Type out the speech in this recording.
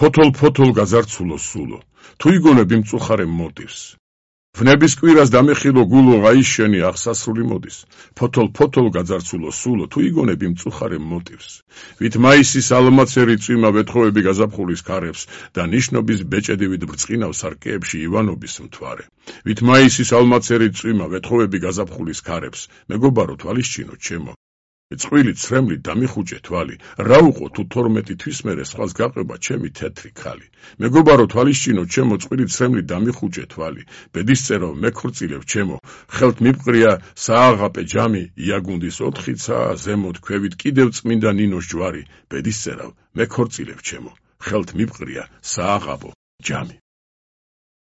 ფოთოლ გაზარცულო სულო, თუ იგონებ იმ წუხარემ მოტივს. ვნების კვირას დამეხილო გულო აიშენი აღსასრული მოდის. ფოთოლ გაძარცულო სულო, თუ იგონებ იმ წუხარემ მოტივს. ვით მაისის ალმაცერი წვიმა ვეთხოვები გაზაფხულის ქარებს და ნიშნობის ბეჭედივით ბრწყინავს არკეებში ივანობის მთვარე. ვით მაისის ალმაცერი წვიმა ვეთხოვები გაზაფხულის ქარებს, მეგობარო თვალისჩინო ჩემო. წყვილი ცრემლი დამიხუჭე თვალი, რა უყო თუ 12 თვის მერე სხვას გაყვება ჩემი თეთრი ქალი. მეგობარო თვალისჩინო ჩემო, წყვილი ცრემლი დამიხუჭე თვალი, ბედისწერო მეკორწილებ ჩემო, ხელთ მიბყრია სააღაპე ჯამი, იაგუნდის 4 ცა, ზემოთ ქვევით კიდევ წმინდა ნინოს ჯვარი, ბედისწერავ მეკორწილებ ჩემო, ხელთ მიბყრია სააღაპო ჯამი.